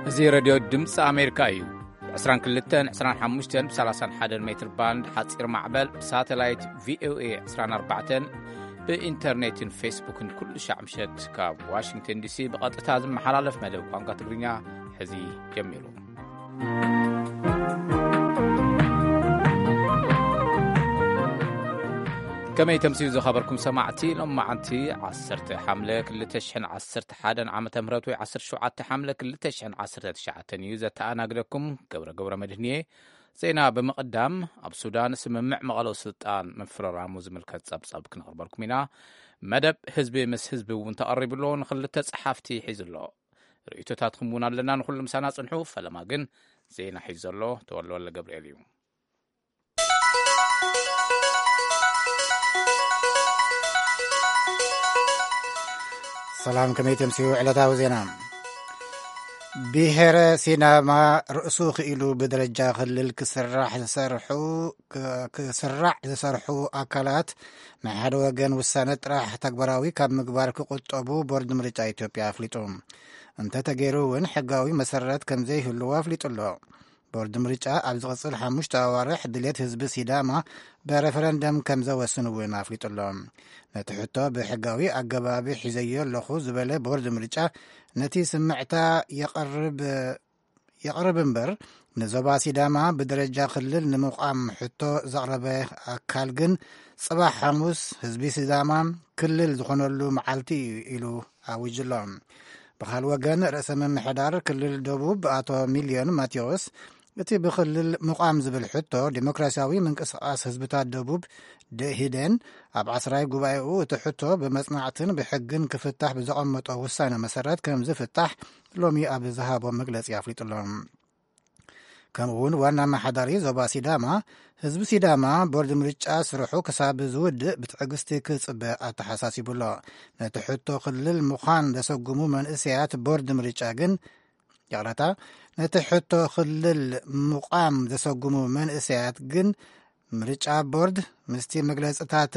እዚ ሬድዮ ድምፂ ኣሜሪካ እዩ። ብ22፣ 25፣ ብ31 ሜትር ባንድ ሓፂር ማዕበል፣ ብሳተላይት ቪኦኤ 24፣ ብኢንተርኔትን ፌስቡክን ኩሉ ሻዕ ምሸት ካብ ዋሽንግተን ዲሲ ብቐጥታ ዝመሓላለፍ መደብ ቋንቋ ትግርኛ ሕዚ ጀሚሩ። ከመይ ተምስዩ ዝኸበርኩም ሰማዕቲ፣ ሎም መዓንቲ 10 ሓምለ 2011 ዓመተ ምህረት ወይ 17 ሓምለ 2019 እዩ። ዘተኣናግደኩም ገብረ ገብረ መድህንየ። ዜና ብምቕዳም፣ ኣብ ሱዳን ስምምዕ መቐሎ ስልጣን ምፍርራሙ ዝምልከት ጸብጸብ ክነቕርበልኩም ኢና። መደብ ህዝቢ ምስ ህዝቢ እውን ተቐሪቡ ኣሎ። ንኽልተ ጸሓፍቲ ሒዙ ኣሎ። ርእይቶታትኩም እውን ኣለና። ንኹሉ ምሳና ጽንሑ። ፈለማ ግን ዜና ሒዙ ዘሎ ተወልደ ወልደ ገብርኤል እዩ። ሰላም፣ ከመይ ተምስዩ ዕለታዊ ዜና። ብሄረ ሲዳማ ርእሱ ክኢሉ ብደረጃ ክልል ክስራሕ ዝሰርሑ፣ ክ-፣ ክስራዕ ዝሰርሑ ኣካላት ናይ ሓደ ወገን ውሳነ ጥራሕ ተግባራዊ ካብ ምግባር ክቁጠቡ ቦርድ ምርጫ ኢትዮጵያ ኣፍሊጡ። እንተተገይሩ እውን ሕጋዊ መሰረት ከም ዘይህልዎ ኣፍሊጡ ኣሎ። ቦርድ ምርጫ ኣብ ዝቕጽል ሓሙሽተ ኣዋርሕ ድሌት ህዝቢ ሲዳማ ብረፈረንደም ከም ዘወስን እውን ኣፍሊጡ ኣሎ። ነቲ ሕቶ ብሕጋዊ ኣገባብ ሒዘዮ ኣለኹ ዝበለ ቦርድ ምርጫ፣ ነቲ ስምዕታ የቕርብ፣ የቕርብ እምበር፣ ንዞባ ሲዳማ ብደረጃ ክልል ንምቋም ሕቶ ዘቕረበ ኣካል ግን፣ ጽባሕ ሓሙስ ህዝቢ ሲዳማ ክልል ዝኾነሉ መዓልቲ እዩ ኢሉ ኣዊጁ ኣሎ። ብኻል ወገን፣ ርእሰ ምምሕዳር ክልል ደቡብ ኣቶ ሚልዮን ማቴዎስ፣ እቲ ብክልል ምቋም ዝብል ሕቶ ዴሞክራሲያዊ ምንቅስቃስ ህዝብታት ደቡብ፣ ደኢህዴን፣ ኣብ ዓስራይ ጉባኤኡ እቲ ሕቶ ብመጽናዕትን ብሕግን ክፍታሕ ብዘቐመጦ ውሳነ መሰረት ከም ዝፍታሕ ሎሚ ኣብ ዝሃቦ መግለጺ ኣፍሊጡ ኣሎ። ከምኡ እውን ዋና ኣመሓዳሪ ዞባ ሲዳማ፣ ህዝቢ ሲዳማ ቦርድ ምርጫ ስርሑ ክሳብ ዝውድእ ብትዕግስቲ ክጽበ ኣተሓሳሲቡ ኣሎ። ነቲ ሕቶ ክልል ምዃን ዘሰጉሙ መንእሰያት ቦርድ ምርጫ ግን፣ ይቕረታ፣ ነቲ ሕቶ ክልል ምቋም ዘሰጉሙ መንእሰያት ግን ምርጫ ቦርድ ምስቲ መግለጽታት፣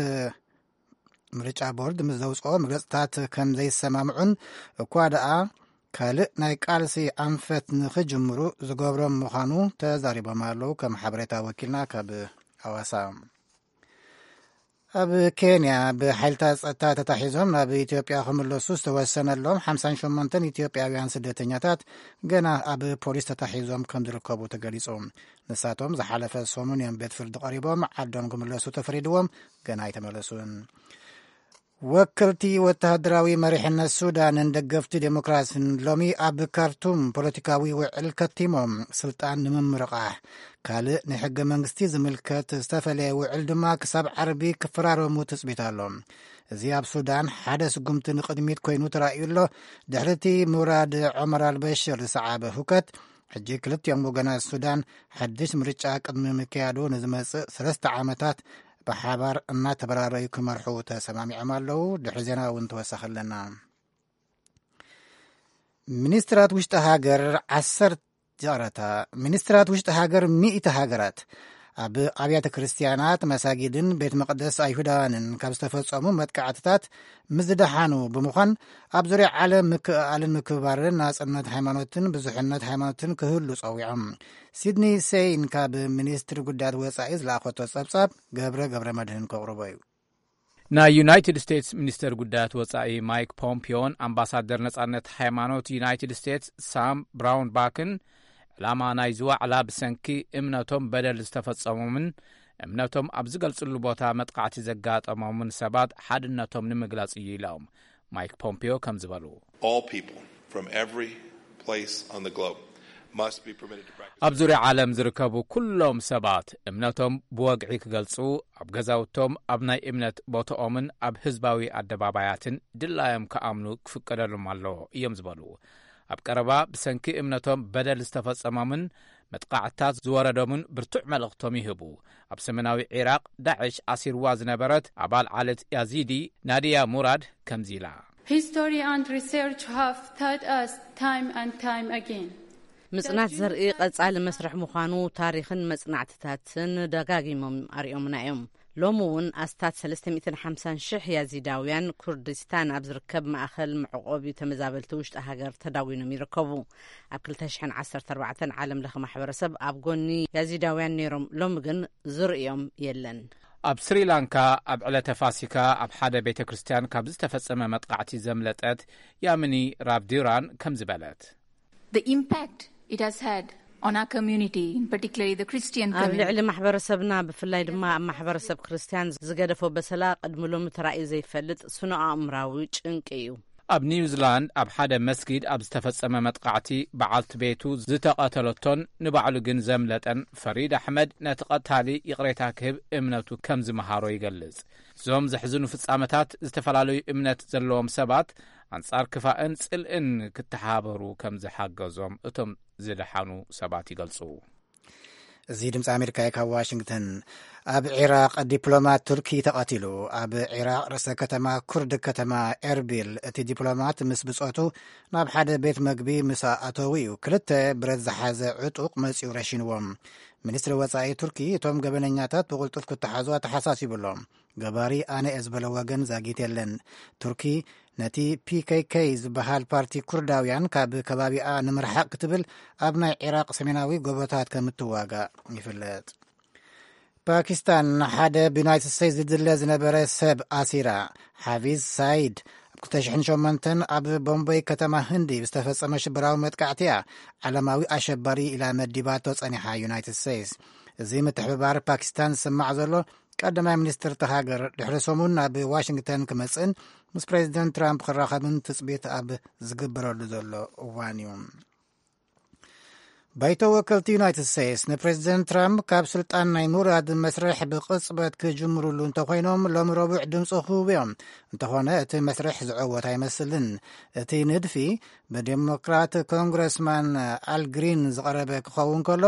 ምርጫ ቦርድ ምስ ዘውጽኦ መግለጽታት ከም ዘይሰማምዑን፣ እኳ ደኣ ካልእ ናይ ቃልሲ ኣንፈት ንኽጅምሩ ዝገብሮም ምዃኑ ተዛሪቦም ኣለዉ። ከም ሓበሬታ ወኪልና ካብ ኣዋሳ። ኣብ ኬንያ ብሓይልታት ጸጥታ ተታሒዞም ናብ ኢትዮጵያ ክምለሱ ዝተወሰነሎም ሓምሳን ሸሞንተን ኢትዮጵያውያን ስደተኛታት ገና ኣብ ፖሊስ ተታሒዞም ከም ዝርከቡ ተገሊጹ። ንሳቶም ዝሓለፈ ሰሙን እዮም ቤት ፍርዲ ቀሪቦም ዓዶም ክምለሱ ተፈሪድዎም፣ ገና ኣይተመለሱን። ወከልቲ ወተሃደራዊ መሪሕነት ሱዳንን ደገፍቲ ዴሞክራሲን ሎሚ ኣብ ካርቱም ፖለቲካዊ ውዕል ከቲሞም፣ ስልጣን ንምምርቓሕ። ካልእ ንሕገ መንግስቲ ዝምልከት ዝተፈለየ ውዕል ድማ ክሳብ ዓርቢ ክፈራረሙ ትጽቢት ኣሎ። እዚ ኣብ ሱዳን ሓደ ስጉምቲ ንቕድሚት ኮይኑ ተራእዩ ኣሎ። ድሕሪቲ ሙራድ ዖመር ኣልበሽር ዝሰዓበ ሁከት፣ ሕጂ ክልቲኦም ወገናት ሱዳን ሓድሽ ምርጫ ቅድሚ ምክያዱ ንዝመጽእ ሰለስተ ዓመታት ብሓባር እናተበራረዩ ክመርሑ ተሰማሚዖም ኣለዉ። ድሕሪ ዜና እውን ተወሳኺ ኣለና። ሚኒስትራት ውሽጢ ሃገር ዓሰርተ፣ ይቕረታ፣ ሚኒስትራት ውሽጢ ሃገር ሚእቲ ሃገራት ኣብ ኣብያተ ክርስቲያናት፣ መሳጊድን ቤት መቕደስ ኣይሁዳውያንን ካብ ዝተፈጸሙ መጥቃዕትታት ምዝደሓኑ ብምዃን፣ ኣብ ዙርያ ዓለም ምክእኣልን ምክብባርን ናጽነት ሃይማኖትን ብዙሕነት ሃይማኖትን ክህሉ ጸዊዖም። ሲድኒ ሴይን ካብ ሚኒስትሪ ጉዳያት ወጻኢ ዝለኣኸቶ ጸብጻብ ገብረ ገብረ መድህን ከቕርቦ እዩ። ናይ ዩናይትድ ስቴትስ ሚኒስተር ጉዳያት ወጻኢ ማይክ ፖምፒዮን ኣምባሳደር ነጻነት ሃይማኖት ዩናይትድ ስቴትስ ሳም ብራውንባክን፣ ዕላማ ናይዚ ዋዕላ ብሰንኪ እምነቶም በደል ዝተፈጸሞምን እምነቶም ኣብ ዝገልጽሉ ቦታ መጥቃዕቲ ዘጋጠሞምን ሰባት ሓድነቶም ንምግላጽ እዩ ኢሎም። ማይክ ፖምፒዮ ከም ዝበሉ፣ All people from every place on the globe must be permitted to practice ኣብ ዙርያ ዓለም ዝርከቡ ኩሎም ሰባት እምነቶም ብወግዒ ክገልጹ፣ ኣብ ገዛውቶም፣ ኣብ ናይ እምነት ቦታኦምን ኣብ ህዝባዊ ኣደባባያትን ድላዮም ክኣምኑ ክፍቀደሎም ኣለዎ እዮም ዝበሉ። ኣብ ቀረባ ብሰንኪ እምነቶም በደል ዝተፈጸሞምን መጥቃዕትታት ዝወረዶምን ብርቱዕ መልእኽቶም ይህቡ። ኣብ ሰሜናዊ ዒራቕ ዳዕሽ ኣሲርዋ ዝነበረት ኣባል ዓሌት ያዚዲ ናዲያ ሙራድ ከምዚ ኢላ። History and research have taught us time and time again. ምጽናት ዘርኢ ቀጻሊ መስርሕ ምዃኑ ታሪኽን መጽናዕትታትን ደጋጊሞም ኣርእዮምና እዮም። ሎሚ እውን ኣስታት ሰለስተ ሚእትን ሓምሳን ሽሕ ያዚዳውያን ኩርዲስታን ኣብ ዝርከብ ማእኸል መዕቆቢ ተመዛበልቲ ውሽጢ ሃገር ተዳጒኖም ይርከቡ። ኣብ ክልተ ሽሕን ዓሰርተ ኣርባዕተን ዓለም ለኸ ማሕበረሰብ ኣብ ጎኒ ያዚዳውያን ነይሮም፣ ሎሚ ግን ዝርእዮም የለን። ኣብ ስሪላንካ ኣብ ዕለተ ፋሲካ ኣብ ሓደ ቤተ ክርስቲያን ካብ ዝተፈጸመ መጥቃዕቲ ዘምለጠት ያሚኒ ራብዲራን ከምዚ በለት። The impact it has had on our community, in particularly the Christian ኣብ community. ልዕሊ ማሕበረሰብና፣ ብፍላይ ድማ ኣብ ማሕበረሰብ ክርስትያን ዝገደፎ በሰላ ቅድሚ ሎሚ ተራእዩ ዘይፈልጥ ስነ ኣእምራዊ ጭንቂ እዩ። ኣብ ኒውዚላንድ ኣብ ሓደ መስጊድ ኣብ ዝተፈጸመ መጥቃዕቲ በዓልቲ ቤቱ ዝተቐተለቶን ንባዕሉ ግን ዘምለጠን ፈሪድ ኣሕመድ ነቲ ቀታሊ ይቕሬታ ክህብ እምነቱ ከም ዝመሃሮ ይገልጽ። እዞም ዘሕዝኑ ፍጻመታት ዝተፈላለዩ እምነት ዘለዎም ሰባት ኣንጻር ክፋእን ጽልእን ክተሓባበሩ ከም ዝሓገዞም እቶም ዝደሓኑ ሰባት ይገልጹ። እዚ ድምፂ ኣሜሪካ እዩ። ካብ ዋሽንግተን፣ ኣብ ዒራቕ ዲፕሎማት ቱርኪ ተቐቲሉ። ኣብ ዒራቕ ርእሰ ከተማ ኩርድ ከተማ ኤርቢል እቲ ዲፕሎማት ምስ ብጾቱ ናብ ሓደ ቤት መግቢ ምስ ኣተዉ እዩ ክልተ ብረት ዝሓዘ ዕጡቕ መጺኡ ረሺንዎም። ሚኒስትሪ ወጻኢ ቱርኪ እቶም ገበነኛታት ብቕልጡፍ ክተሓዙ ኣተሓሳሲቡ ኣሎ። ገባሪ ኣነ እየ ዝበለ ወገን ዛጊት የለን። ቱርኪ ነቲ ፒ ኬ ኬ ዝበሃል ፓርቲ ኩርዳውያን ካብ ከባቢኣ ንምርሓቕ ክትብል ኣብ ናይ ዒራቕ ሰሜናዊ ጎቦታት ከም እትዋጋእ ይፍለጥ። ፓኪስታን ሓደ ብዩናይትድ ስቴትስ ዝድለ ዝነበረ ሰብ ኣሲራ። ሓፊዝ ሳይድ ኣብ ክልተ ሽሕን ሸሞንተን ኣብ ቦምበይ ከተማ ህንዲ ብዝተፈጸመ ሽበራዊ መጥቃዕቲ እያ ዓለማዊ ኣሸባሪ ኢላ መዲባቶ ጸኒሓ ዩናይትድ ስቴትስ። እዚ ምትሕብባር ፓኪስታን ዝስማዕ ዘሎ ቀዳማይ ሚኒስትር እታ ሃገር ድሕሪ ሰሙን ናብ ዋሽንግተን ክመጽእን ምስ ፕሬዚደንት ትራምፕ ክራኸብን ትጽቢት ኣብ ዝግበረሉ ዘሎ እዋን እዩ። ባይቶ ወከልቲ ዩናይትድ ስቴትስ ንፕሬዚደንት ትራምፕ ካብ ስልጣን ናይ ምውራድ መስርሕ ብቕጽበት ክጅምሩሉ እንተኾይኖም ሎሚ ረቡዕ ድምፂ ክህቡ እዮም። እንተኾነ እቲ መስርሕ ዝዕወት ኣይመስልን። እቲ ንድፊ ብዴሞክራት ኮንግረስማን ኣል ግሪን ዝቐረበ ክኸውን ከሎ፣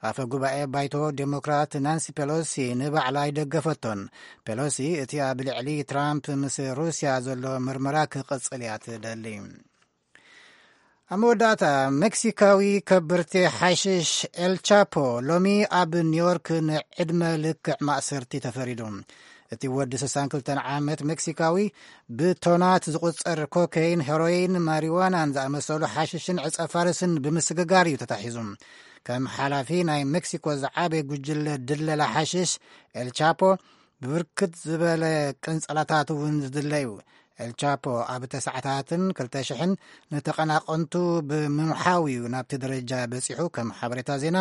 ኣፈ ጉባኤ ባይቶ ዴሞክራት ናንሲ ፔሎሲ ንባዕላ ኣይደገፈቶን። ፔሎሲ እቲ ኣብ ልዕሊ ትራምፕ ምስ ሩስያ ዘሎ ምርመራ ክቕጽል እያ ትደሊ። ኣብ መወዳእታ፣ ሜክሲካዊ ከበርቲ ሓሽሽ ኤል ቻፖ ሎሚ ኣብ ኒውዮርክ ንዕድመ ልክዕ ማእሰርቲ ተፈሪዱ። እቲ ወዲ ስሳን ክልተን ዓመት ሜክሲካዊ ብቶናት ዝቑጸር ኮኬይን፣ ሄሮይን፣ ማሪዋናን ዝኣመሰሉ ሓሽሽን ዕጸ ፋርስን ብምስግጋር እዩ ተታሒዙ። ከም ሓላፊ ናይ ሜክሲኮ ዝዓበየ ጉጅለ ድለላ ሓሽሽ፣ ኤል ቻፖ ብብርክት ዝበለ ቅንጸላታት እውን ዝድለ እዩ። ኤል ቻፖ ኣብ ተሳዕታትን ክልተ ሽሕን ንተቐናቐንቱ ብምምሓው እዩ ናብቲ ደረጃ በጺሑ። ከም ሓበሬታ ዜና፣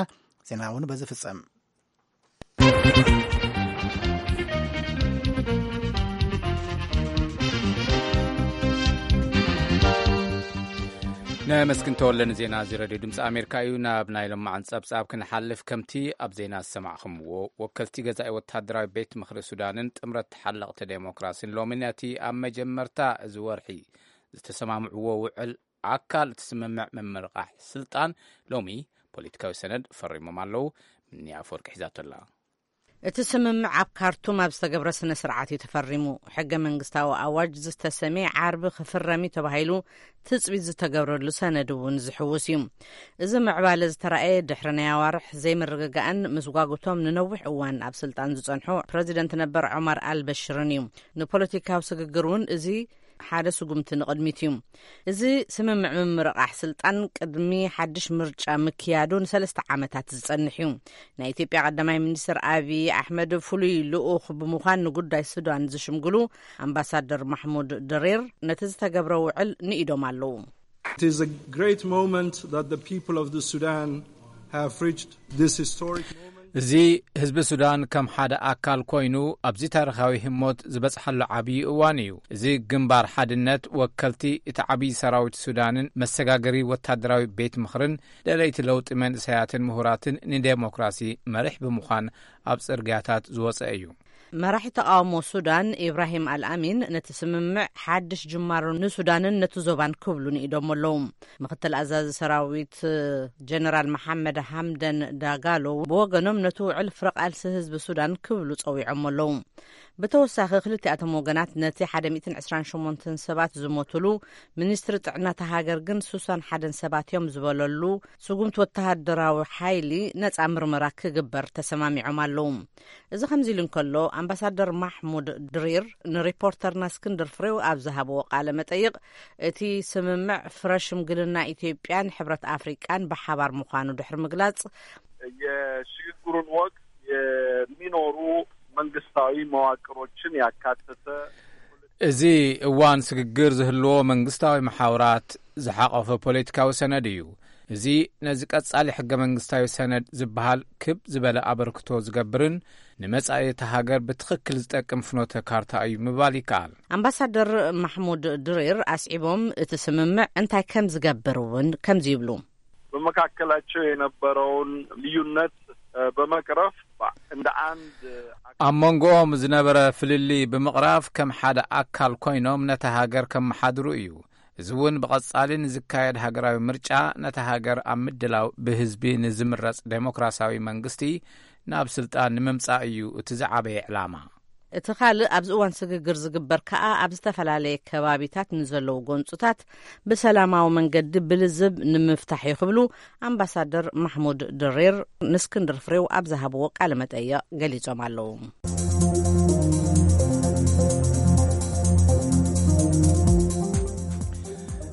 ዜና እውን በዚ ፍጸም። ነመስግን ተወለ ንዜና እዚ ሬድዮ ድምፂ ኣሜሪካ እዩ። ናብ ናይ ሎማዓን ጸብጻብ ክንሓልፍ፣ ከምቲ ኣብ ዜና ዝሰማዕኹምዎ፣ ወከልቲ ገዛኢ ወታደራዊ ቤት ምኽሪ ሱዳንን ጥምረት ተሓለቕቲ ዴሞክራሲን ሎሚ ነቲ ኣብ መጀመርታ እዚ ወርሒ ዝተሰማምዕዎ ውዕል ኣካል እቲ ስምምዕ ምምርቓሕ ስልጣን ሎሚ ፖለቲካዊ ሰነድ ፈሪሞም ኣለዉ። ምንያ ኣፈወርቂ ሒዛቶ ኣላ። እቲ ስምምዕ ኣብ ካርቱም ኣብ ዝተገብረ ስነ ስርዓት እዩ ተፈሪሙ። ሕገ መንግስታዊ ኣዋጅ ዝተሰምየ ዓርቢ ክፍረም እዩ ተባሂሉ ትጽቢት ዝተገብረሉ ሰነድ እውን ዝሕውስ እዩ። እዚ ምዕባለ ዝተራእየ ድሕሪ ናይ ኣዋርሕ ዘይምርግጋእን ምስጓጉቶም ንነዊሕ እዋን ኣብ ስልጣን ዝጸንሑ ፕረዚደንት ነበር ዑማር ኣልበሽርን እዩ። ንፖለቲካዊ ስግግር እውን እዚ ሓደ ስጉምቲ ንቕድሚት እዩ። እዚ ስምምዕ ምምርቓሕ ስልጣን ቅድሚ ሓድሽ ምርጫ ምክያዱ ንሰለስተ ዓመታት ዝጸንሕ እዩ። ናይ ኢትዮጵያ ቀዳማይ ሚኒስትር ኣብይ ኣሕመድ ፍሉይ ልኡኽ ብምዃን ንጉዳይ ሱዳን ዝሽምግሉ ኣምባሳደር ማሕሙድ ድሪር ነቲ ዝተገብረ ውዕል ንኢዶም ኣለዉ። It is a great moment that the people of the Sudan have reached this historic moment. እዚ ህዝቢ ሱዳን ከም ሓደ ኣካል ኮይኑ ኣብዚ ታሪኻዊ ህሞት ዝበጽሓሉ ዓብዪ እዋን እዩ። እዚ ግንባር ሓድነት ወከልቲ እቲ ዓብዪ ሰራዊት ሱዳንን መሰጋገሪ ወታደራዊ ቤት ምኽርን ደለይቲ ለውጢ መንእሰያትን ምሁራትን ንዴሞክራሲ መሪሕ ብምዃን ኣብ ጽርግያታት ዝወጸ እዩ። መራሒ ተቓውሞ ሱዳን ኢብራሂም ኣልኣሚን ነቲ ስምምዕ ሓድሽ ጅማሮ ንሱዳንን ነቲ ዞባን ክብሉ ንኢዶም ኣለዉ። ምክትል ኣዛዚ ሰራዊት ጀነራል መሓመድ ሓምደን ዳጋሎ ብወገኖም ነቲ ውዕል ፍረ ቃልሲ ህዝቢ ሱዳን ክብሉ ጸዊዖም ኣለዉ። ብተወሳኺ፣ ክልቲኣቶም ወገናት ነቲ ሓደ ሚእትን ዕስራን ሸሞንተን ሰባት ዝሞትሉ፣ ሚኒስትሪ ጥዕና እታ ሃገር ግን ስሳን ሓደን ሰባት እዮም ዝበለሉ ስጉምቲ ወተሃደራዊ ሓይሊ ነጻ ምርመራ ክግበር ተሰማሚዖም ኣለዉ። እዚ ከምዚ ኢሉ እንከሎ፣ ኣምባሳደር ማሕሙድ ድሪር ንሪፖርተርና እስክንድር ፍሬው ኣብ ዝሃብዎ ቃለ መጠይቕ፣ እቲ ስምምዕ ፍረ ሽምግልና ኢትዮጵያን ሕብረት ኣፍሪቃን ብሓባር ምዃኑ ድሕሪ ምግላጽ፣ የሽግግሩን ወቅት የሚኖሩ መንግስታዊ መዋቅሮችን ያካተተ እዚ እዋን ስግግር ዝህልዎ መንግስታዊ መሓውራት ዝሓቆፈ ፖለቲካዊ ሰነድ እዩ። እዚ ነዚ ቀጻሊ ሕገ መንግስታዊ ሰነድ ዝበሃል ክብ ዝበለ ኣበርክቶ ዝገብርን ንመጻኢ እታ ሃገር ብትኽክል ዝጠቅም ፍኖተ ካርታ እዩ ምባል ይከኣል። ኣምባሳደር ማሕሙድ ድሪር ኣስዒቦም፣ እቲ ስምምዕ እንታይ ከም ዝገብር እውን ከምዚ ይብሉ። በመካከላቸው የነበረውን ልዩነት በመቅረፍ እንደ አንድ ኣብ መንጎኦም ዝነበረ ፍልልይ ብምቕራፍ ከም ሓደ ኣካል ኮይኖም ነታ ሃገር ከመሓድሩ እዩ። እዚ እውን ብቐጻሊ ንዝካየድ ሃገራዊ ምርጫ ነታ ሃገር ኣብ ምድላው ብህዝቢ ንዝምረጽ ዴሞክራሲያዊ መንግስቲ ናብ ስልጣን ንምምጻእ እዩ እቲ ዝዓበየ ዕላማ። እቲ ካልእ ኣብዚ እዋን ስግግር ዝግበር ከኣ ኣብ ዝተፈላለየ ከባቢታት ንዘለዉ ጎንጽታት ብሰላማዊ መንገዲ ብልዝብ ንምፍታሕ እዩ ክብሉ ኣምባሳደር ማሕሙድ ድሬር ንእስክንድር ፍሬው ኣብ ዝሃብዎ ቃለ መጠይቕ ገሊጾም ኣለዉ።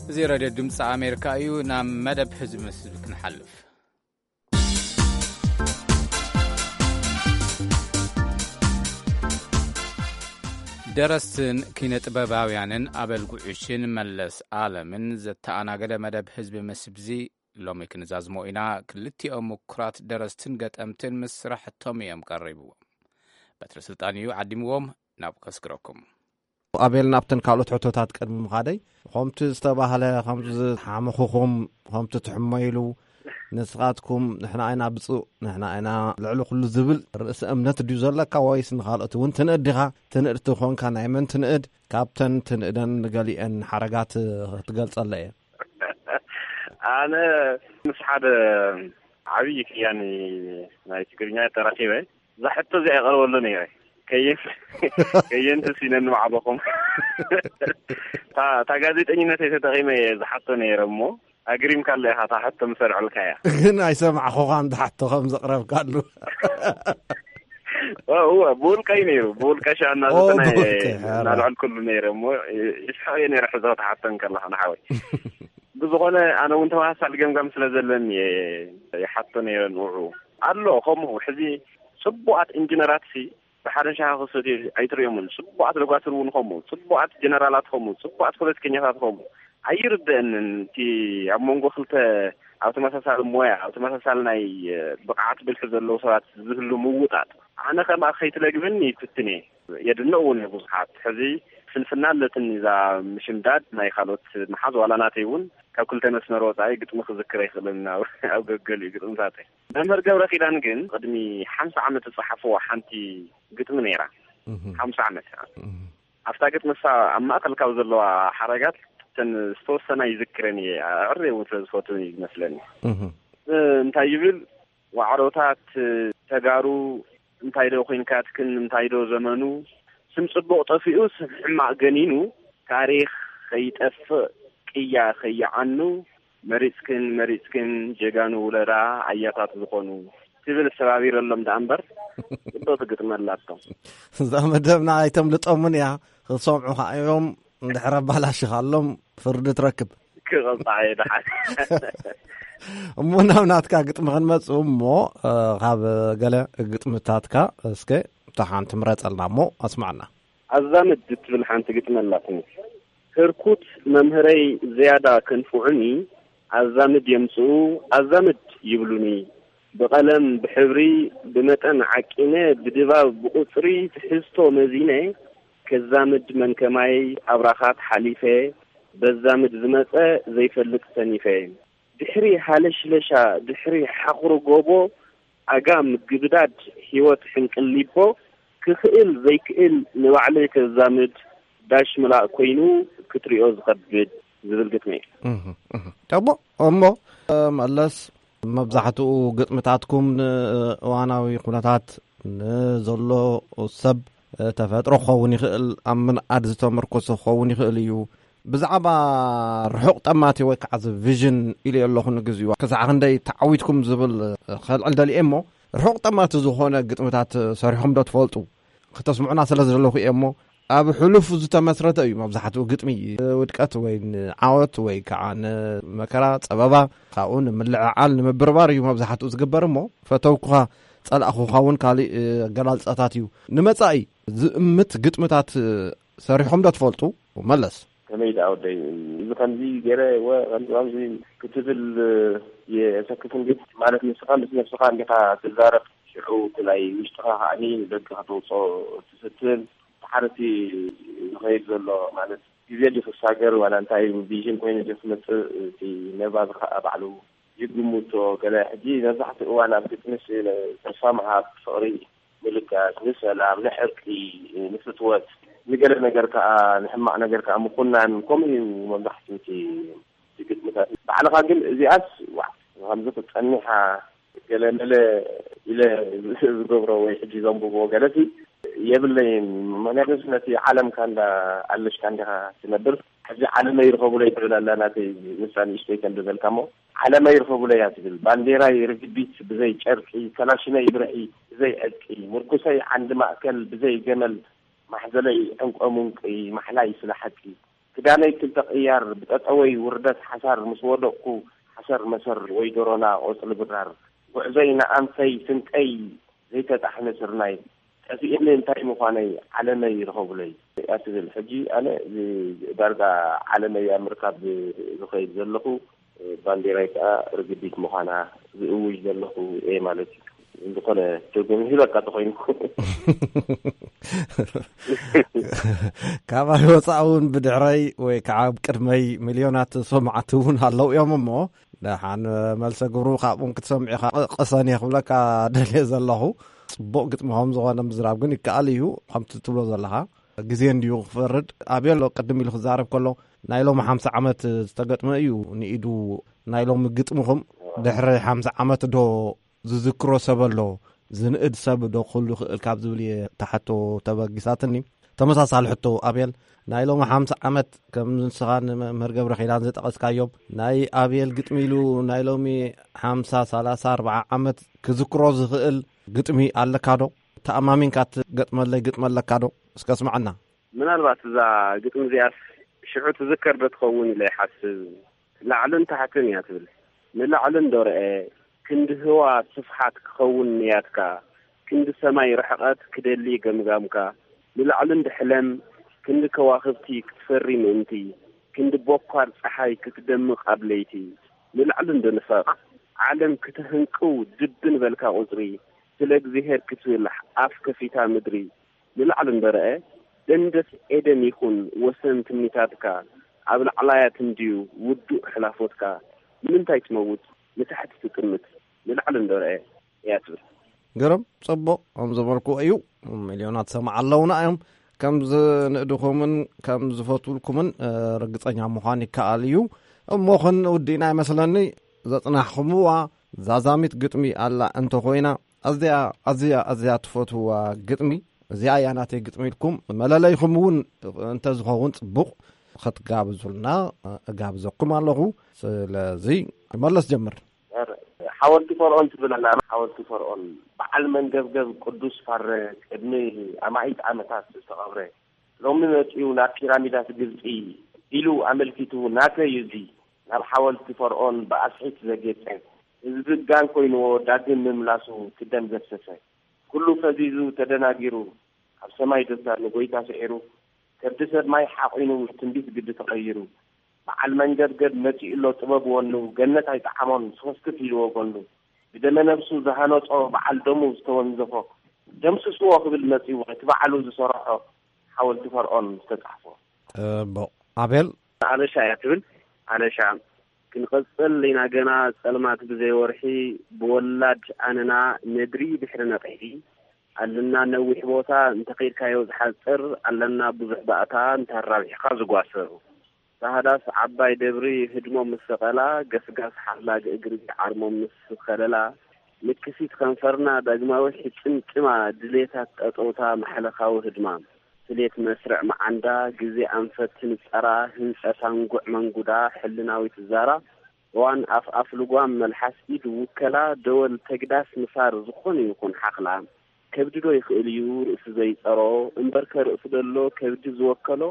እዚ ሬድዮ ድምፂ ኣሜሪካ እዩ። ናብ መደብ ህዝቢ መስል ክንሓልፍ። ደረስትን ኪነ ጥበባውያንን ኣበል ጉዕሽን መለስ ኣለምን ዘተኣናገደ መደብ ህዝቢ መስብዚ ሎሚ ክንዛዝሞ ኢና። ክልቲኦም ምኩራት ደረስትን ገጠምትን ምስ ስራሕቶም እዮም ቀሪብዎም። በትሪ ስልጣን እዩ ዓዲምዎም። ናብ ከስግረኩም። ኣቤል፣ ናብተን ካልኦት ሕቶታት ቅድሚ ምኻደይ፣ ከምቲ ዝተባህለ፣ ከምቲ ዝሓመኹኹም፣ ከምቲ ትሕመይሉ፣ ንስኻትኩም ንሕና ኢና ብፁእ፣ ንሕና ኢና ልዕሊ ኩሉ ዝብል ርእሲ እምነት ድዩ ዘለካ፣ ወይስ ንኻልኦት እውን ትንእድ ዲኻ? ትንእድ ተኾንካ፣ ናይ መን ትንእድ? ካብተን ትንእደን ንገሊአን ሓረጋት ክትገልጸለ እየ። ኣነ ምስ ሓደ ዓብዪ ከያኒ ናይ ትግርኛ ተራኺበ፣ እዛ ሕቶ እዚኣ ይቐርበሉ ነይረ። ከየን-፣ ከየንቲ ሲነን ባዕልኹም። እታ፣ እታ ጋዜጠኝነተይ ተጠቒመ እየ ዝሓቶ ነይረ እሞ፣ ኣግሪምካለ ኢኻ፣ እታ ሕቶ ምሰርዐልካ እያ። ግን ኣይሰማዕኹኻን፣ እታ ሕቶ ከም ዘቕረብካሉ። እ፣ እወ፣ ብውልቀይ ነይሩ፣ ብውልቀ ሻና ኦ፣ ዘጠና እየ ብውልቀ፣ ኣረ። እናልዐልኩሉ ነይረ እሞ፣ ይስሕቕ እየ ነይረ፣ ሕዞ ትሓቶ እንከለኻ ንሓወይ። ብዝኾነ፣ ኣነ እውን ተመሳሳሊ ገምጋም ስለ ዘለኒ እየ ይሓቶ ነይረ ንውዑ። ኣሎ ከምኡ፣ ሕዚ ጽቡቓት ኢንጂነራት ሲ ብሓደ ሻሂ ክሰትዩ ኣይትርእዮምን። ጽቡቓት ዶጋትር እውን ከምኡ፣ ጽቡቓት ጀነራላት ከምኡ፣ ጽቡቓት ፖለቲከኛታት ከምኡ። ኣይርደአንን እቲ ኣብ መንጎ ክልተ ኣብ ተመሳሳሊ ሞያ፣ ኣብ ተመሳሳሊ ናይ፣ እ፣ ብቕዓት ብልሒ ዘለዉ ሰባት ዝህሉ ምውጣጥ። ኣነ ከምኣ ከይትለግብኒ ይፍትን እየ። የድንቕ እውን እየ ብዙሓት። ሕዚ ፍንፍና ኣለትኒ እዛ ምሽምዳድ ናይ ካልኦት መሓዝ፣ ዋላ ናተይ እውን ካብ ክልተ መስመር ወጻኢ ግጥሚ ክዝክር ኣይክእልን ኣብ፣ ኣብ ገገሊኡ ግጥምታተይ። መምህር ገብረ ኪዳን ግን ቅድሚ ሓምሳ ዓመት ዝጸሓፍዋ ሓንቲ ግጥሚ ነይራ። እህ። ሓምሳ ዓመት። እህ። ኣብታ ግጥሚ እሳ ኣብ ማእከል ካብ ዘለዋ ሓረጋት እተን ዝተወሰና ይዝክረን እየ፣ ኣዕርየ እውን ስለ ዝፈትወን እዩ ዝመስለኒ። እህ። እ፣ እንታይ ይብል? ዋዕሮታት ተጋሩ እንታይ ዶ ኮይንካትክን፣ እንታይ ዶ ዘመኑ፣ ስም ጽቡቕ ጠፊኡ፣ ስም ሕማቕ ገኒኑ፣ ታሪኽ ከይጠፍእ ቅያ ከይዓኑ፣ መሪጽክን መሪጽክን ጀጋኑ ውለዳ ኣያታት ዝኾኑ ትብል ሰባቢረሎም ደኣ እምበር፣ ጽብቕቲ ግጥሚ ኣላቶም። እዛ መደብና ኣይተምልጦምን እያ፣ ክሰምዑኻ እዮም፣ እንድሕር ኣባላሽኻሎም ፍርዲ ትረክብ። ክቐጻዕ እየ ደሓን። እሞ ናብ ናትካ ግጥሚ ክንመጽእ እሞ፣ እ፣ ካብ ገለ ግጥምታትካ እስከ እታ ሓንቲ ምረጸልና እሞ ኣስማዕና። ኣዛምድ እትብል ሓንቲ ግጥሚ ኣላትኒ። ህርኩት መምህረይ ዝያዳ ከንፍዑኒ፣ ኣዛምድ የምጽኡ፣ ኣዛምድ ይብሉኒ። ብቐለም፣ ብሕብሪ፣ ብመጠን ዓቂነ፣ ብድባብ፣ ብቑጽሪ ትሕዝቶ መዚነ፣ ከዛምድ መን ከማይ ኣብራኻት ሓሊፈ፣ በዛምድ ዝመጸ ዘይፈልጥ ሰኒፈ። ድሕሪ ሃለሽለሻ፣ ድሕሪ ሓኽሩ ጎቦ፣ ኣጋ ምግብዳድ፣ ህይወት ሕንቅሊቦ፣ ክኽእል ዘይክእል ንባዕለይ ከዛምድ፣ ዳሽ ምላእ ኮይኑ ክትሪኦ ዝኸብድ ዝብል ግጥሚ እዩ። እህ፣ እህ። እሞ፣ እሞ፣ መለስ፣ መብዛሕትኡ ግጥምታትኩም ንእዋናዊ ኩነታት ንዘሎ ሰብ ተፈጥሮ ክኸውን ይኽእል፣ ኣብ ምንኣድ ዝተመርኮሰ ክኸውን ይኽእል እዩ። ብዛዕባ ርሑቕ ጠማቲ ወይ ከዓ እዚ ቪዥን ኢለ ኣለኹ ንግዚኡ፣ ክሳዕ ክንደይ ተዓዊትኩም ዝብል ከልዕል ደልየ እሞ፣ ርሑቕ ጠማቲ ዝኾነ ግጥምታት ሰሪሖም ዶ ትፈልጡ? ክተስምዑና ስለ ዝደለኹ እየ እሞ፣ ኣብ ሕሉፍ ዝተመስረተ እዩ መብዛሕትኡ ግጥሚ። ውድቀት ወይ ንዓወት ወይ ከዓ ንመከራ፣ ጸበባ፣ ካብኡ ንምልዕዓል፣ ንምብርባር እዩ መብዛሕትኡ ዝግበር እሞ፣ ፈተውኩኻ ጸላእኹኻ እውን ካልእ ኣገላልጻታት እዩ። ንመጻኢ ዝእምት ግጥምታት ሰሪሖም ዶ ትፈልጡ? መለስ። ከመይ ደኣ ወደይ፣ እዚ ከምዚ ገይረ ወ-፣ ከምዚ ከምዚ ክትብል የሰክፍ እንዴ? ማለት ንስኻ ምስ ነብስኻ እንዲኻ ትዛረብ፣ ሽዑ እቲ ናይ ውሽጥኻ ከኣኒ ንደገ ከተውፅኦ ትፍትን። እቲ ሓረቲ ዝኸይድ ዘሎ ማለት ግዜ ድዩ ክሳገር ዋላ እንታይ ቪዥን ኮይኑ ድዩ ክመፅእ፣ እቲ ነባቢ ከዓ ባዕሉ ይግምቶ። ገለ ሕጂ መብዛሕትኡ እዋን ኣብ ግጥምስ ተስፋ ምሃብ፣ ፍቕሪ ምልጋስ፣ ንሰላም፣ ንሕርቂ፣ ንፍትወት፣ ንገለ ነገር ከዓ፣ ንሕማቕ ነገር ከዓ ምኹናን፣ ከምኡ እዩ መብዛሕትኡ እቲ፣ እቲ ግጥምታት። ባዕልኻ ግን እዚኣስ፣ ዋዕ፣ ከምዚ ክጸኒሓ ገለ መለ ኢለ ዝገብሮ ወይ ሕጂ ዘንብቦ ገለሲ የብለይን። ምኽንያቱ ነቲ ዓለምካ እንዳ ኣለሽካ እንዲኻ ትነብር። ሕጂ ዓለመይ ርኸቡለይ ትብል ኣላ ናተይ ንሳ ንእሽተይ ከም ዝበልካ እሞ፣ ዓለመይ ርኸቡለይ እያ ትብል። ባንዴራይ ርግቢት ብዘይ ጨርቂ፣ ከላሽነይ ብርዒ ብዘይ ዕጥቂ፣ ምርኩሰይ ዓንዲ ማእከል ብዘይ ገመል፣ ማሕዘለይ ዕንቆ ምንቂ፣ ማሕላይ ስለ ሓቂ። ክዳነይ ክልተ ቅያር፣ ብጠጠወይ ውርደት ሓሳር፣ ምስ ወደቕኩ ሓሰር መሰር ወይ ዶሮና ቆጽሊ ብራር። ጉዕዞይ ንኣንፈይ ስንቀይ ዘይተጣሕነ ስርናይ። ጠፊእኒ እንታይ ምዃነይ ዓለመይ ርኸቡለይ እያ ትብል። ሕጂ ኣነ እዚ ዳርጋ ዓለመይ ኣብ ምርካብ ዝኸይድ ዘለኹ፣ ባንዴራይ ከዓ ርግቢት ምዃና ዝእውጅ ዘለኹ እየ ማለት እዩ። ዝኾነ ትርጉም ይህበካ ተኾይኑ። ካባይ ወፃእ እውን ብድሕረይ ወይ ከዓ ኣብ ቅድመይ ሚልዮናት ሰማዕቲ እውን ኣለዉ እዮም እሞ፣ ደሓን መልሰ ግብሩ ካብኦም ክትሰምዑ ኢኻ። ቅ-፣ ቅሰን እየ ክብለካ ደልየ ዘለኹ። ጽቡቕ ግጥሚ ከም ዝኾነ ምዝራብ ግን ይከኣል እዩ። ከምቲ ትብሎ ዘለኻ ግዜ እንድዩ ክፈርድ። ኣቤሎ ቅድም ኢሉ ክዛረብ ከሎ ናይ ሎሚ ሓምሳ ዓመት ዝተገጥመ እዩ ንኢዱ። ናይ ሎሚ ግጥምኹም ድሕሪ ሓምሳ ዓመት ዶ ዝዝክሮ ሰብ ኣሎ? ዝንእድ ሰብ ዶ ክህሉ ይኽእል ካብ ዝብል እየ እታ ሕቶ ተበጊሳትኒ። ተመሳሳሊ ሕቶ ኣቤል፣ ናይ ሎሚ ሓምሳ ዓመት ከም ንስኻ ንመምህር ገብረ ኪዳን ዝጠቐስካዮም ናይ ኣቤል ግጥሚ ኢሉ ናይ ሎሚ ሓምሳ፣ ሰላሳ፣ ኣርብዓ ዓመት ክዝክሮ ዝኽእል ግጥሚ ኣለካ ዶ? ተኣማሚንካ ትገጥመለይ ግጥሚ ኣለካ ዶ? እስከ ኣስምዓና። ምናልባት እዛ ግጥሚ እዚኣስ ሽዑ ትዝከር ዶ ትኸውን ኢለ ይሓስብ። ላዕልን ታሕትን እያ ትብል። ንላዕሊ እንዶ ረኤ፣ ክንዲ ህዋ ስፍሓት ክኸውን ንያትካ፣ ክንዲ ሰማይ ርሕቐት ክደሊ ገምጋምካ፣ ንላዕሊ እንዶ ሕለም፣ ክንዲ ከዋኽብቲ ክትፈሪ ምእንቲ፣ ክንዲ ቦኳር ጸሓይ ክትደምቕ ኣብ ለይቲ፣ ንላዕሊ እንዶ ንፈቕ፣ ዓለም ክትህንቅው ድብን በልካ ቁጽሪ፣ ስለ እግዚኣብሄር ክትብል ኣፍ ከፊታ ምድሪ፣ ንላዕሊ እንዶ ረኤ፣ ደንደስ ኤደን ይኹን ወሰን ትምኒታትካ፣ ኣብ ላዕላያት እንድዩ ውዱእ ሕላፎትካ፣ ንምንታይ ትመውት ንታሕቲ ትጥምት፣ ንላዕሊ እንዶ ረኤ እያ ትብል። ግርም፣ ጽቡቕ፣ ከም ዝበልኩዎ እዩ። ሚልዮናት ሰማዕ ኣለውና እዮም። ከም ዝንእድኹምን ከም ዝፈትውልኩምን፣ እ፣ ርግጸኛ ምዃን ይከኣል እዩ። እሞ ክንውድእና ይመስለኒ። ዘጽናሕኹምዋ ዛዛሚት ግጥሚ ኣላ እንተኾይና፣ ኣዝያ፣ ኣዝያ፣ ኣዝያ ትፈትውዋ ግጥሚ፣ እዚኣ እያ ናተይ ግጥሚ ኢልኩም መለለይኹም እውን እንተዝኸውን ጽቡቕ ክትጋብዙልና እጋብዘኩም ኣለኹ። ስለዚ መለስ ጀምር። ሓወልቲ ፈርዖን ትብል ኣላ። ሓወልቲ ፈርዖን በዓል መንገብገብ ቅዱስ ፋረ ቅድሚ ኣማኢት ዓመታት ዝተቐብረ፣ ሎሚ መጺኡ ናብ ፒራሚዳት ግብጺ ኢሉ ኣመልኪቱ፣ ናተይ እዚ ናብ ሓወልቲ ፈርዖን ብኣስሒት ዘጌጸ፣ ህዝቢ ጋን ኮይንዎ ዳግም ምምላሱ ክደም ዘፍሰሰ፣ ኩሉ ፈዚዙ ተደናጊሩ፣ ኣብ ሰማይ ደስታ ንጎይታ ስዒሩ፣ ከብዲ ሰብ ማይ ሓቒኑ ትንቢት ግዲ ተቐይሩ፣ በዓል መንገብገብ መጺኡ ኣሎ ጥበብ ወኑ፣ ገነት ኣይጠዓሞን ስኽፍክፍ ኢልዎ ጎኑ፣ ብደመ ነብሱ ዝሃነጾ በዓል ደሙ ዝተወንዘፎ፣ ደምስስዎ ክብል መጺኡ እቲ በዓሉ ዝሰርሖ ሓወልቲ ፈርዖን ዝተጻሕፎ። ጽቡቕ። ኣቤል? ኣበሻ እያ ትብል። ኣነሻ ክንቐጽል ኢና ገና ጸልማት ብዘይ ወርሒ፣ ብወላድ ኣነና ነድሪ ድሕሪ ነቕሒ። ኣለና ነዊሕ ቦታ እንተኸይድካዮ ዝሓጽር፣ ኣለና ብዙሕ ባእታ እንተራቢሕካ ዝጓስር። ራህዳስ ዓባይ ደብሪ ህድሞም ምስ ሰቐላ፣ ገስጋስ ሓላግ እግሪ ዓርሞም ምስ ከለላ፣ ንክሲት ከንፈርና ዳግማዊ ሕጽምጽማ፣ ድሌታት ጠጠውታ ማሕለኻዊ ህድማ፣ ስሌት መስርዕ መዓንዳ፣ ግዜ ኣንፈት ትንጸራ፣ ህንጸት ኣንጉዕ መንጉዳ፣ ሕልናዊት ዛራ፣ እዋን ኣፍ ኣፍ ልጓም፣ መልሓስ ኢድ ውከላ፣ ደወል ተግዳስ ምሳር ዝኾነ ይኹን ሓኽላ፣ ከብዲ ዶ ይኽእል እዩ ርእሲ ዘይጸሮ፣ እምበርከ ርእሲ ደሎ ከብዲ ዝወከሎ፣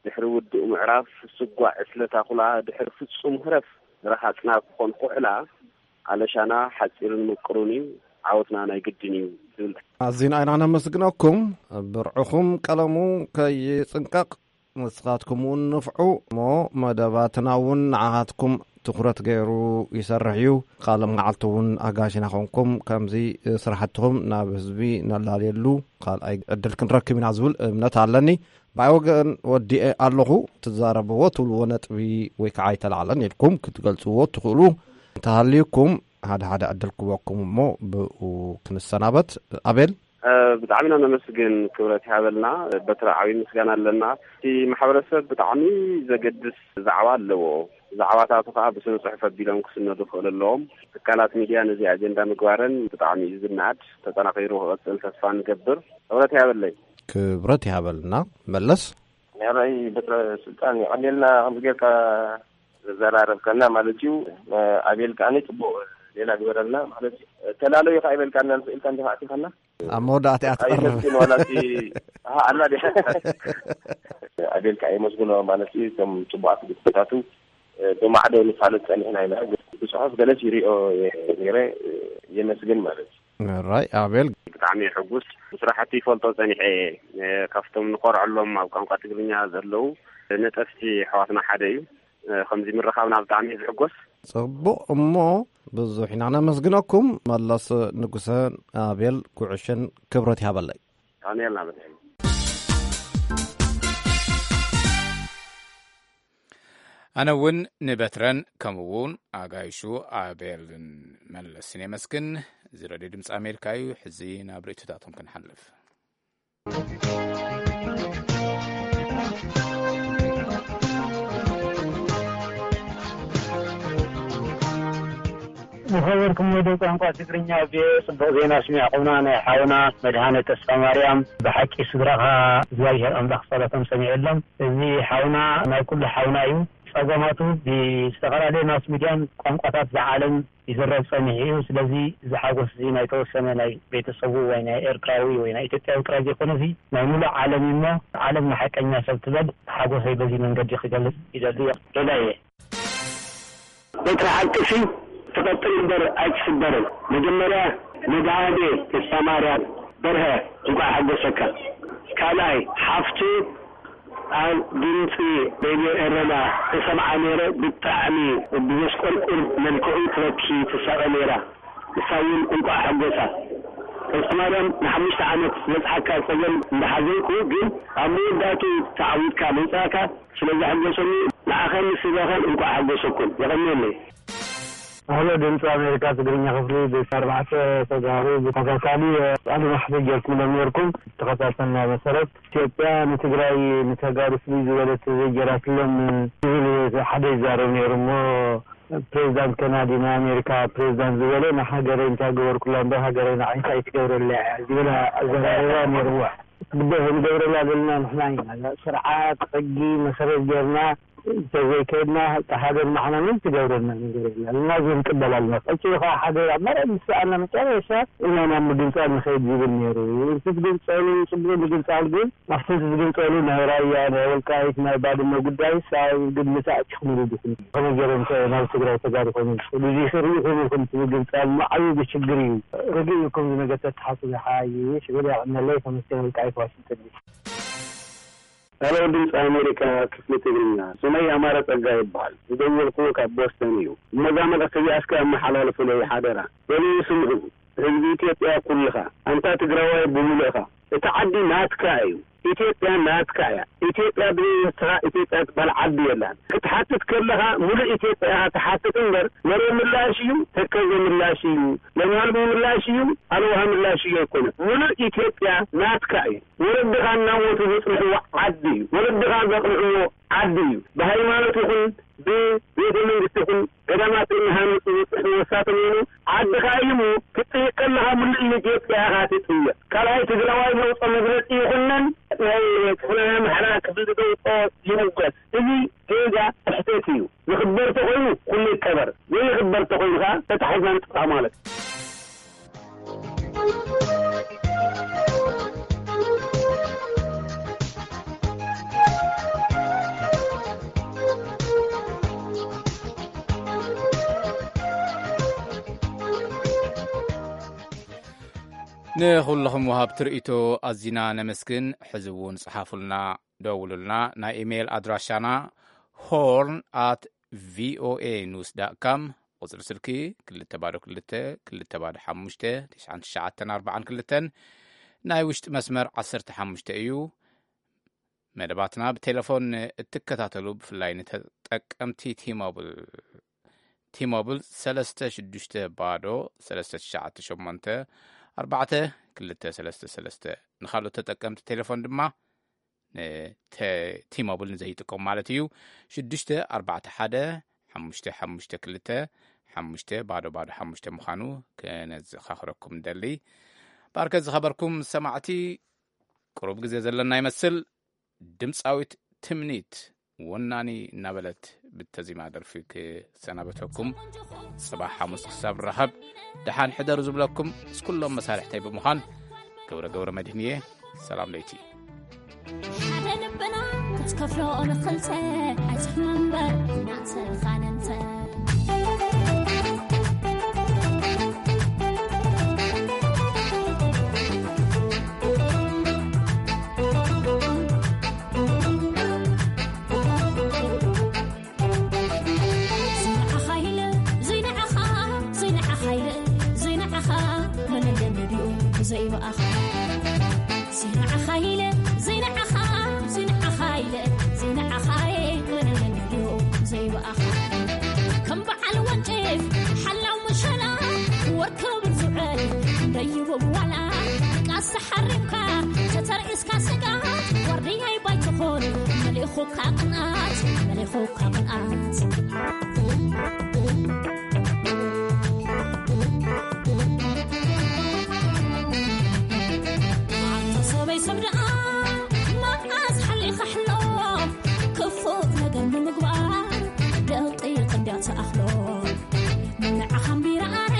ድሕሪ ውዱእ ምዕራፍ ስጓዕ ዕስለ ታኹላ፣ ድሕሪ ፍጹም ህረፍ ረሃጽና ክኾን ኩሕላ፣ ኣለሻና ሓጺርን ምቅሩን እዩ፣ ዓወትና ናይ ግድን እዩ ትብል። ኣዚና ኢና ነመስግነኩም። ብርዕኹም ቀለሙ ከይጽንቀቕ፣ ንስኻትኩም እውን ንፍዑ እሞ መደባትና እውን ንዓኻትኩም ትኹረት ገይሩ ይሰርሕ እዩ። ካልእ መዓልቲ እውን ኣጋሽና ኾንኩም ከምዚ ስራሕትኹም ናብ ህዝቢ ነላልየሉ ካልኣይ ዕድል ክንረክብ ኢና ዝብል እምነት ኣለኒ። ብኣይ ወገን ወዲኤ ኣለኹ። ትዛረብዎ ትብልዎ ነጥቢ ወይ ከዓ ኣይተላዕለን ኢልኩም ክትገልጽዎ ትኽእሉ እንተሃልዩኩም፣ ሓደ ሓደ ዕድል ክበኩም እሞ ብኡ ክንሰናበት። ኣቤል። እ፣ ብጣዕሚ ኢና ነመስግን፣ ክብረት ይሃበልና። በትሪ ዓብዪ ምስጋና ኣለና። እቲ ማሕበረሰብ ብጣዕሚ ዘገድስ ዛዕባ ኣለዎ። ዛዕባታቱ ከዓ ብስነ ጽሑፍ ኣቢሎም ክስነዱ ክኽእሉ ኣለዎም። ትካላት ሚድያ ነዚ ኣጀንዳ ምግባረን ብጣዕሚ እዩ ዝነኣድ። ተጠናኺሩ ክቕጽል ተስፋ ንገብር። ክብረት ይሃበለይ። ክብረት ይሃበልና። መለስ። ንዕራይ በትረ ስልጣን የቐኔልና ከምዚ ጌርካ ዘዘራረብካና ማለት እዩ። ኣቤል ከዓኒ ጽቡቕ ሌላ ግበረልና ማለት እዩ። ተላለዩ ከኣ ይበልካና ንኽእልካ እንዲኻ ኣቲኻና። ኣብ መወዳእታ እያ ትቐርብ። ኣይመስግን ዋላ እቲ፣ ኣሃ፣ ኣላ ድያ? ኣቤል ከኣ የመስግኖ ማለት እዩ። እቶም ጽቡቓት ግጥምታቱ ብማዕዶ ንፋለጥ ጸኒሕና ኢና። ብጽሑፍ ገለስ ይሪኦ ነይረ፣ የመስግን ማለት እዩ። ራይ ኣቤል። ብጣዕሚ ሕጉስ። ብስራሕቲ ይፈልጦ ጸኒሐ እየ። ካብቶም ንኾርዐሎም ኣብ ቋንቋ ትግርኛ ዘለዉ ነጠፍቲ ኣሕዋትና ሓደ እዩ። ከምዚ ምርኻብና ብጣዕሚ እየ ዝሕጎስ። ጽቡቕ እሞ ብዙሕ ኢና ነመስግነኩም። መለስ ንጉሰን ኣቤል ጉዕሽን ክብረት ይሃበለይ። ኣሜን ኣሜን። ኣነ እውን ንበትረን ከምኡ እውን ኣጋይሹ ኣቤልን መለስን የመስግን። እዚ ረድዮ ድምፂ ኣሜሪካ እዩ። ሕዚ ናብ ርእይቶታቶም ክንሓልፍ። ዝኸበርኩም ወደ ቋንቋ ትግርኛ ቪኦኤ፣ ጽቡቕ ዜና ስሚዕኹምና። ናይ ሓውና መድሃነ ተስፋ ማርያም ብሓቂ ስድራኻ እግዚኣብሔር ኣምላኽ ጸሎቶም ሰሚዑሎም። እዚ ሓውና ናይ ኩሉ ሓውና እዩ። ጸገማቱ ብዝተፈላለየ ማስ ሚድያን ቋንቋታት ዝዓለም ይዝረብ ጸኒሑ እዩ። ስለዚ እዚ ሓጎስ እዚ ናይ ተወሰነ ናይ ቤተሰቡ ወይ ናይ ኤርትራዊ ወይ ናይ ኢትዮጵያዊ ጥራይ ዘይኮነ፣ እዚ ናይ ሙሉእ ዓለም እዩ። እሞ ዓለም ንሓቀኛ ሰብ ትበል። ሓጎሰይ በዚ መንገዲ ክገልጽ ይደሊ እየ። ሬዳየ። በትሪ ሓቅሲ ትቐጥን እምበር ኣይትስበርን። መጀመርያ መድሃኔ ተስፋማርያም በርሀ እንኳዕ ሓጎሰካ። ካልኣይ ሓፍቱ ኣብ ድምፂ ሬድዮ ኤረና ተሰምዓ ነይረ፣ ብጣዕሚ ብዘስቆርቁር መልክዑ ትበኪ ትሳቐ ነይራ። ንሳ እውን እንቋዕ ሓጎሳ። ተስፋማርያም፣ ንሓሙሽተ ዓመት ዝበጽሓካ ጸገም እንዳሓዘንኩ፣ ግን ኣብ መወዳእትኡ ተዓዊትካ ምምጻእካ ስለ ዘሐጎሰኒ፣ ንዓኻን ንስድራኻን እንቋዕ ሓጎሰኩም። የቐንየለይ። ኣህሎ ድምፂ ኣሜሪካ ትግርኛ ክፍሊ፣ ብኣርባዕተ ተጋሩ ብተኸታታሊ ቃለ መሕትት ጌርኩምሎም ኔርኩም። ተኸታተልና መሰረት፣ ኢትዮጵያ ንትግራይ ንተጋሩ ፍልይ ዝበለት ዘይጌራትሎም ዝብል ሓደ ይዛረብ ነይሩ እሞ፣ ፕሬዚዳንት ከናዲ ናይ ኣሜሪካ ፕሬዚዳንት ዝበለ፣ ንሃገረይ እንታይ ገበርኩላ እምበር ሃገረይ ንዓይ እንታይ ትገብረለይ እያ ዝብል ኣዘራርባ ነይርዎ። ግደፍ፣ ንገብረላ ዘለና ንሕና ኢና። ስርዓት ሕጊ መሰረት ጌርና እንተዘይከድና፣ እታ ሃገር ንዓና ምንም ትገብረልና ነገር የለን። እና እዚ ንቅበል ኣለና። ቀጺሉ ከዓ ሃገር ኣብ መሬት ምስ ሰኣና መጨረሻ ኢና ናብ ምግንጻል ንኸይድ ዝብል ነይሩ። እቲ ትግንጸሉ ጽቡቕ ምግንጻል ግን ኣብቲ ዝግንጸሉ ናይ ራያ፣ ናይ ወልቃይት፣ ናይ ባድመ ጉዳይስ ኣብ ግምት ኣእቲኹምሉ ዲኹም? ከመይ ገይሮም ከ ናብ ትግራይ ተጋሩ ኮይኖም ዝኽእሉ? እዚ ርኢኹም ኢኹም እቲ ምግንጻል እሞ ዓብዪ ችግር እዩ። ርግእ ኢልኩም እዚ ነገር ተተሓስቡ ይሓይሽ። ርግእ ያቕነለይ። ተመስገን ወልቃይት ዋሽንግተን ዲሲ። ሄሎ ድምፂ ኣሜሪካ ክፍሊ ትግርኛ፣ ስመይ ኣማረ ጸጋ ይበሃል። ዝደወልኩ ካብ ቦስተን እዩ። እሞ እዛ መልእኽቲ እዚኣ እስከ ኣመሓላልፉለይ ሓደራ። በልዩ ስምዑ። ህዝቢ ኢትዮጵያ ኩልኻ፣ ኣንታ ትግራዋይ ብምሉእኻ፣ እቲ ዓዲ ናትካ እዩ። ኢትዮጵያ ናትካ እያ። ኢትዮጵያ ብዘይ ንስኻ ኢትዮጵያ ትበሃል ዓዲ የላን። ክትሓትት ከለኻ ሙሉእ ኢትዮጵያ ኢኻ ትሓትት እምበር፣ መሬ ምላሽ እዩ፣ ተከዘ ምላሽ እዩ፣ ለምሃልቢ ምላሽ እዩ፣ ኣልዋሃ ምላሽ እዩ ኣይኮነን። ሙሉእ ኢትዮጵያ ናትካ እዩ። ወለድኻ እናሞቱ ዘጽንሕዎ ዓዲ እዩ። ወለድኻ ዘቕንዕዎ ዓዲ እዩ። ብሃይማኖት ይኹን ብቤተ መንግስቲ ይኹን ገዳማት እናሃነጹ ዘጽንሕዎ እሳቶም ይኹኑ ዓድኻ እዩ እሞ ክትጥይቅ ከለኻ ምሉእ ኢትዮጵያ ኢኻ ትጥየቅ። ካልኣይ ትግራዋይ ዘውፅኦ መግለፂ ይኹነን ናይ ክፍለ ምሕራ ክፍሊ ዘውፅኦ ይምወት። እዚ ጌጋ ስሕተት እዩ። ዝኽበር ተኾይኑ ኩሉ ይከበር፣ ዘይኽበር ተኾይኑ ከዓ ተታሒዝና ንጥፋእ ማለት እዩ። ንኹልኹም ወሃብቲ ርእይቶ ኣዚና ነመስግን። ሕዚ እውን ጽሓፉልና፣ ደውሉልና። ናይ ኢሜይል ኣድራሻና ሆርን ኣት ቪኦኤ ኒውስ ዳት ካም፣ ቁጽሪ ስልኪ ክልተ ባዶ ክልተ፣ ክልተ ባዶ ሓሙሽተ፣ ትሽዓን ትሽዓተን ኣርባዓን ክልተን፣ ናይ ውሽጢ መስመር ዓሰርተ ሓሙሽተ እዩ። መደባትና ብቴሌፎን እትከታተሉ፣ ብፍላይ ንተጠቀምቲ ቲሞብል፣ ቲሞብል ሰለስተ ሽዱሽተ ባዶ ሰለስተ ትሽዓተ ሸሞንተ ኣርባዕተ ክልተ ሰለስተ ሰለስተ፣ ንኻልኦት ተጠቀምቲ ቴሌፎን ድማ ንተ-፣ ቲሞብል ንዘይጥቀሙ ማለት እዩ፣ ሽዱሽተ ኣርባዕተ ሓደ ሓሙሽተ ሓሙሽተ ክልተ ሓሙሽተ ባዶ ባዶ ሓሙሽተ ምዃኑ ከነዘኻኽረኩም ንደሊ። ባርከ ዝኸበርኩም ሰማዕቲ፣ ቁሩብ ግዜ ዘለና ይመስል። ድምፃዊት ትምኒት ወናኒ እናበለት ብተዚማ ደርፊ ክሰናበተኩም። ጽባሕ ሓሙስ ክሳብ ንራኸብ፣ ደሓን ሕደሩ ዝብለኩም ምስ ኩሎም መሳርሕተይ ብምዃን ገብረ ገብረ መድህን እየ። ሰላም ለይቲ። ሓደ ልብና ክትከፍሎ ንኽልተ ኣይትሕመ እምበር ናትኻ ነንተ። ዘይንዓኻ ኢለ፣ ዘይንዓኻ፣ ዘይንዓኻ ኢለ፣ ዘይንዓኻ፣ መለለ መዲኡ ብዘይ ብኣኻ። ዘይንዓኻ ኢለ፣ ዘይንዓኻ፣ ዘይንዓኻ ኢለ፣ ዘይንዓኻ፣ መለለ መዲኡ ብዘይ ብኣኻ። ከም በዓል ወንጭፍ ሓላው መሸላ፣ ወርክብ ዝውዕል ደይቡ ዋላ፣ ቃስ ሓሪምካ ተተርኢስካ ስጋት፣ ዋርድያይ ባይትኾን መሊኹካ ቅንኣት፣ መሊኹካ ቅንኣት። ኣንታ ሰበይ ሰብ ደኣ መዓስ ሓሊኻ ሕሎ፣ ክፉእ ነገር ንምግባር ደቂቕ እንድያ ትኣኽሎ። ንዓኻ እምቢራ ኣረ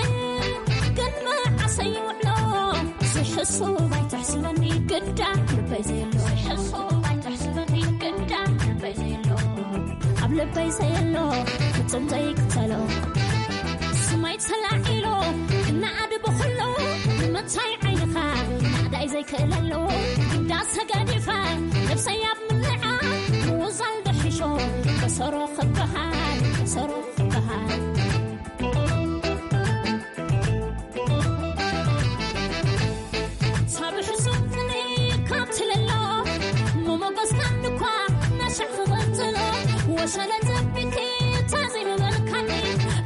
ግን መዓሰ ይውዕሎ፣ ዝሕሱብ ኣይትሕስበኒ ግዳ ልበይ ዘየሎ። ዝሕሱብ ኣይትሕስበኒ ግዳ ልበይ ዘየሎ። ኣብ ልበይ ዘየሎ ፍጹም ዘይክተሎ። ስመይ ተላዒሉ ክነኣድ ብኹሉ፣ ንምንታይ ዓይንኻ ናእዳይ ዘይክእለሉ? ግዳ ተገዲፈ ነብሰይ ኣብ ምልዓ፣ ምውዛል ድሒሾ በሰሮ ክበሃል፣ በሰሮ ክበሃል። ሳብ ሕሱም ክንይ ካብ ትልሎ፣ መሞገስካን እኳ ናሻዕ ክቕጽሎ፣ ወሸለ ዘቢልኪ ተዘይምበልካኒ፣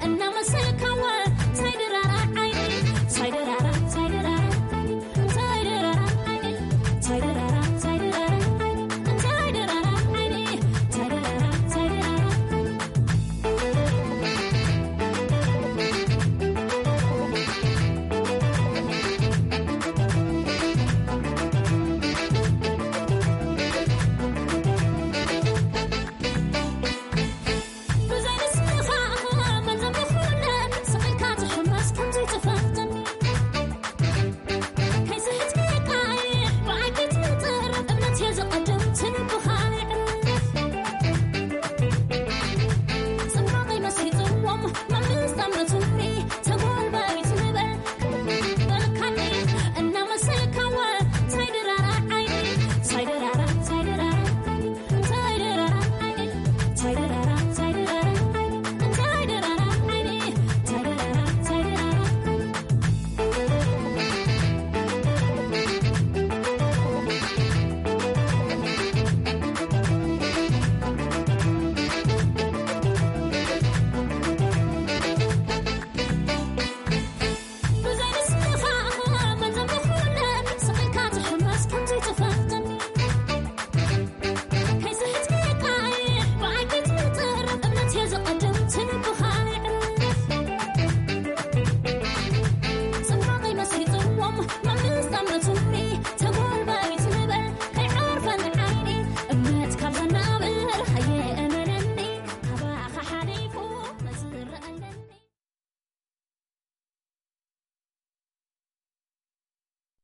እናመሰልካወ ታይድራራ ዓይኒ፣ ታይድራራ፣ ታይድራራ ዓይኒ፣ ታይድራራ ዓይኒ፣ ታይድራራ፣ ታይድራራ ዓይኒ፣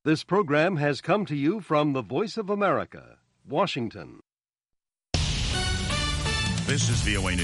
This program has come to you from the Voice of America, Washington. This is V O A News.